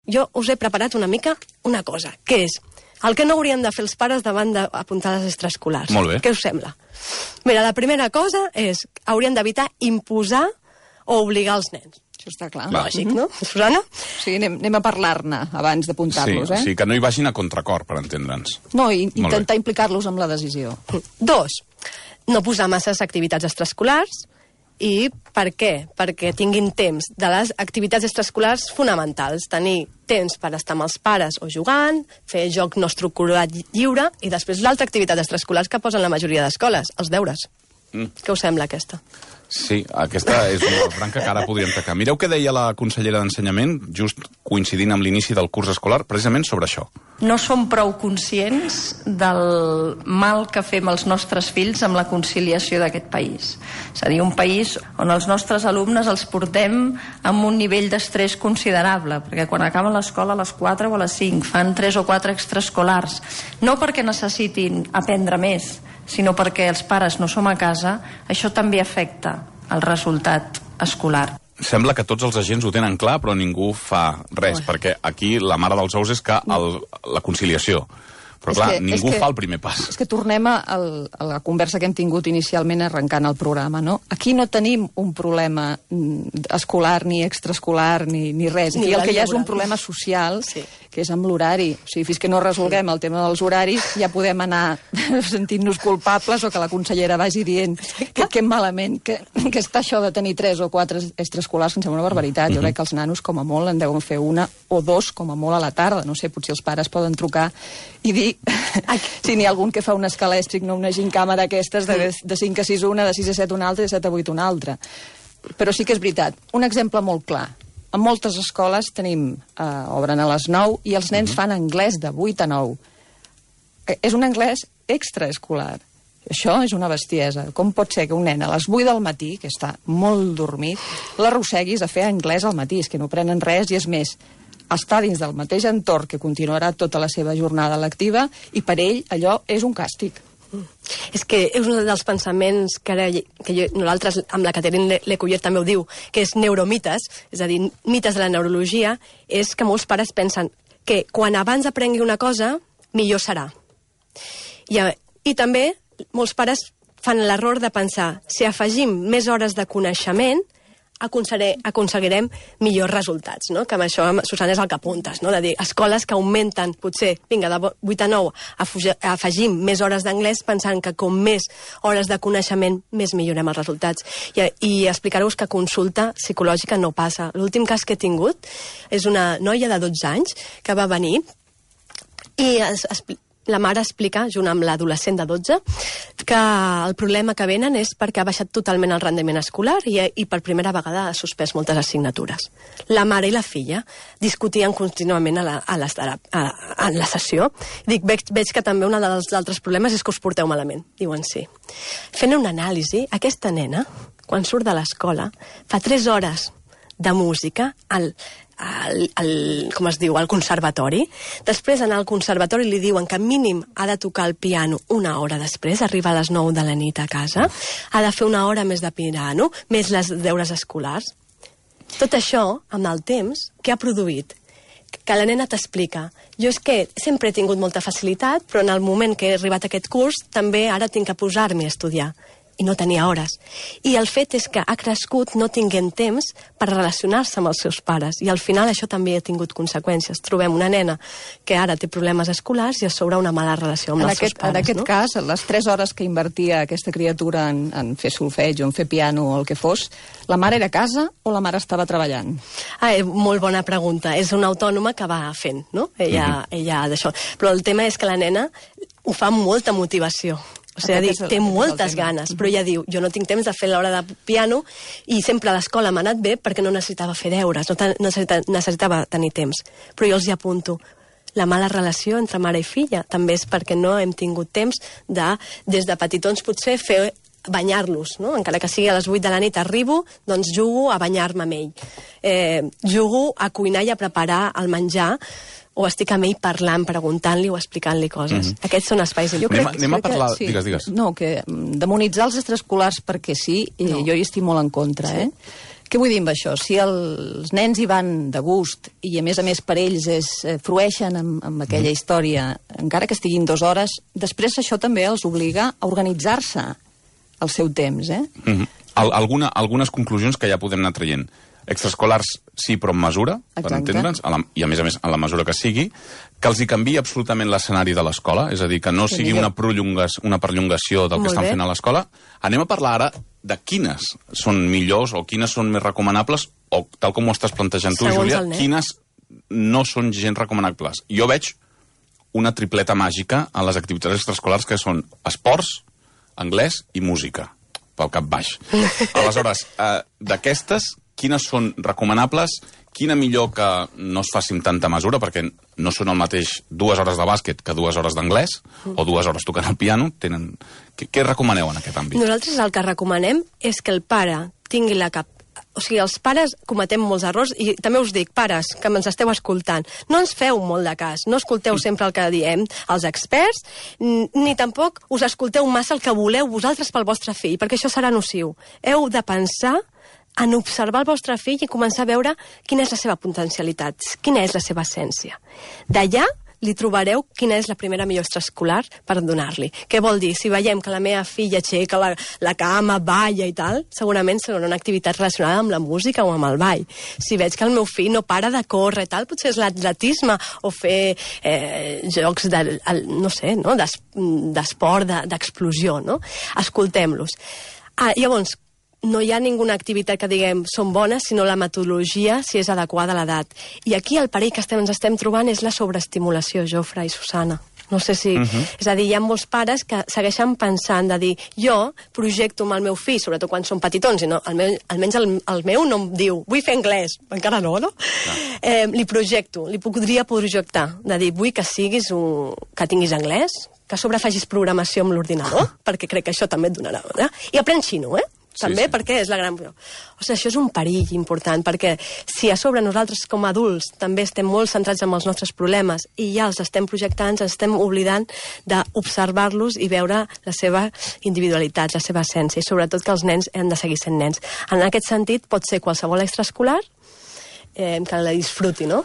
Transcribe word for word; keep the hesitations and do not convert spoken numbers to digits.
jo us he preparat una mica una cosa, que és el que no haurien de fer els pares davant d'apuntar les extraescolars. Molt bé. Què us sembla? Mira, la primera cosa és que haurien d'evitar imposar o obligar els nens. Això està clar. Lògic, no? Susana? Sí, anem, anem a parlar-ne abans d'apuntar-los, sí, eh? Sí, que no hi vagin a contracor, per entendre'ns. No, i intentar implicar-los amb la decisió. Dos, no posar masses activitats extraescolars. I per què? Perquè tinguin temps de les activitats extraescolars fonamentals. Tenir temps per estar amb els pares o jugant, fer joc no estructurat lliure, i després l'altra activitat extraescolar que posen la majoria d'escoles, els deures. Mm. Què us sembla, aquesta? Sí, aquesta és una branca que ara podríem tacar. Mireu què deia la consellera d'Ensenyament, just coincidint amb l'inici del curs escolar, precisament sobre això. No som prou conscients del mal que fem els nostres fills amb la conciliació d'aquest país. És a dir, un país on els nostres alumnes els portem amb un nivell d'estrès considerable, perquè quan acaben l'escola a les quatre o a les cinc fan tres o quatre extraescolars, no perquè necessitin aprendre més, sinó perquè els pares no som a casa, això també afecta el resultat escolar. Sembla que tots els agents ho tenen clar, però ningú fa res, Ui. perquè aquí la mare dels ous és que el, la conciliació. Però és clar, que, ningú que, fa el primer pas. És que tornem a, el, a la conversa que hem tingut inicialment arrencant el programa, no? Aquí no tenim un problema escolar, ni extraescolar, ni, ni res. Aquí ni el que hi ha és un problema social, sí. que és amb l'horari. O sigui, fins que no resolguem el tema dels horaris, ja podem anar sentint-nos culpables o que la consellera vagi dient que, que malament, que, que està això de tenir tres o quatre extraescolars, que em sembla una barbaritat. Jo crec que els nanos, com a molt, en deuen fer una o dos, com a molt, a la tarda. No sé, potser els pares poden trucar i dir si n'hi ha algun que fa un escalèstric, no una gincama d'aquestes, de, de cinc a sis una, de sis a set una altra i de set a vuit una altra. Però sí que és veritat. Un exemple molt clar. En moltes escoles tenim, eh, obren a les nou i els nens fan anglès de vuit a nou. Eh, és un anglès extraescolar. Això és una bestiesa. Com pot ser que un nen a les vuit del matí, que està molt dormit, l'arrosseguis a fer anglès al matí? És que no prenen res i és més, està dins del mateix entorn que continuarà tota la seva jornada lectiva i per ell allò és un càstig. Mm. És que és un dels pensaments que, ara, que jo, nosaltres amb la Catherine Lecuyer també ho diu, que és neuromites, és a dir, mites de la neurologia, és que molts pares pensen que quan abans aprengui una cosa, millor serà. I, i també molts pares fan l'error de pensar, si afegim més hores de coneixement, aconseguirem millors resultats, no? Que amb això, Susana, és el que apuntes, no? De dir, escoles que augmenten, potser, vinga, de vuit a nou, afegim més hores d'anglès pensant que com més hores de coneixement, més millorem els resultats. I, i explicar-vos que consulta psicològica no passa. L'últim cas que he tingut és una noia de dotze anys que va venir i es, es, la mare explica, junt amb l'adolescent de dotze, que el problema que venen és perquè ha baixat totalment el rendiment escolar i, i per primera vegada ha suspès moltes assignatures. La mare i la filla discutien contínuament a la, a les, a, a, a la sessió. Dic, veig, veig que també un dels altres problemes és que us porteu malament. Diuen sí. Fent una anàlisi, aquesta nena, quan surt de l'escola, fa tres hores de música al Al, al, com es diu, al conservatori. Després anar al conservatori li diuen que mínim ha de tocar el piano una hora després, arriba a les nou de la nit a casa, ha de fer una hora més de piano, més les deures escolars. Tot això, amb el temps, què ha produït? Que la nena t'explica, jo és que sempre he tingut molta facilitat, però en el moment que he arribat a aquest curs, també ara tinc que posar-me a estudiar. I no tenia hores. I el fet és que ha crescut no tinguent temps per relacionar-se amb els seus pares. I al final això també ha tingut conseqüències. Trobem una nena que ara té problemes escolars i a sobre una mala relació amb en els aquest, seus pares. En aquest no? cas, les tres hores que invertia aquesta criatura en, en fer solfeig o en fer piano o el que fos, la mare era a casa o la mare estava treballant? Ah, molt bona pregunta. És una autònoma que va fent, no? Ella, mm-hmm. ella d'això. Però el tema és que la nena ho fa amb molta motivació. O sigui, dir, té moltes ganes, però ella diu, jo no tinc temps de fer l'hora de piano i sempre a l'escola m'ha anat bé perquè no necessitava fer deures, no necessitava, necessitava tenir temps. Però jo els hi apunto, la mala relació entre mare i filla també és perquè no hem tingut temps de, des de petitons potser, fer banyar-los, no? Encara que sigui a les vuit de la nit arribo, doncs jugo a banyar-me amb ell. Eh, jugo a cuinar i a preparar el menjar, o estic amb ell parlant, preguntant-li o explicant-li coses. Mm-hmm. Aquests són espais... Jo crec, anem, anem a parlar... Que, sí, digues, digues. No, que demonitzar els extraescolars perquè sí, no. Jo hi estic molt en contra, sí. eh? Què vull dir amb això? Si els nens hi van de gust i, a més a més, per ells es eh, frueixen amb, amb aquella història, encara que estiguin dues hores, després això també els obliga a organitzar-se el seu temps, eh? Mm-hmm. Al, alguna, algunes conclusions que ja podem anar traient. Extraescolars sí, però en mesura, per entendre'ns, a la, i a més a més en la mesura que sigui, que els hi canviï absolutament l'escenari de l'escola, és a dir, que no sigui una, una perllongació del que estan fent a l'escola. Anem a parlar ara de quines són millors o quines són més recomanables, o tal com ho estàs plantejant tu, Júlia, quines no són gens recomanables. Jo veig una tripleta màgica a les activitats extraescolars que són esports, anglès i música, pel cap baix. Aleshores, eh, d'aquestes, quines són recomanables, quina millor que no es faci amb tanta mesura, perquè no són el mateix dues hores de bàsquet que dues hores d'anglès, o dues hores tocant el piano. Tenen... Què, què recomaneu en aquest àmbit? Nosaltres el que recomanem és que el pare tingui la cap... O sigui, els pares cometem molts errors, i també us dic, pares, que ens esteu escoltant, no ens feu molt de cas, no escolteu sempre el que diem els experts, ni tampoc us escolteu massa el que voleu vosaltres pel vostre fill, perquè això serà nociu. Heu de pensar en observar el vostre fill i començar a veure quina és la seva potencialitat, quina és la seva essència. D'allà li trobareu quina és la primera millor extraescolar per donar-li. Què vol dir? Si veiem que la meva filla aixeca la, la cama, balla i tal, segurament serà una activitat relacionada amb la música o amb el ball. Si veig que el meu fill no para de córrer i tal, potser és l'atletisme o fer eh, jocs de, no sé, no? d'esport, d'explosió, no? Escoltem-los. Ah, llavors, no hi ha ninguna activitat que diguem són bones, sinó la metodologia, si és adequada a l'edat. I aquí el perill que estem, ens estem trobant és la sobreestimulació, Jofre i Susana. No sé si... Uh-huh. És a dir, hi ha molts pares que segueixen pensant de dir jo projecto amb el meu fill, sobretot quan són petitons, i no, almenys, almenys el, el meu no em diu vull fer anglès, encara no, no? Uh. Eh, li projecto, li podria projectar, de dir vull que siguis un... que tinguis anglès, que a sobre facis programació amb l'ordinador, perquè crec que això també et donarà... Eh? I aprèn xino, eh? També, sí, sí. Perquè és la gran... O sigui, això és un perill important, perquè si a sobre nosaltres com a adults també estem molt centrats en els nostres problemes i ja els estem projectant, ens estem oblidant d'observar-los i veure la seva individualitat, la seva essència, i sobretot que els nens han de seguir sent nens. En aquest sentit, pot ser qualsevol extraescolar eh, que la disfruti, no?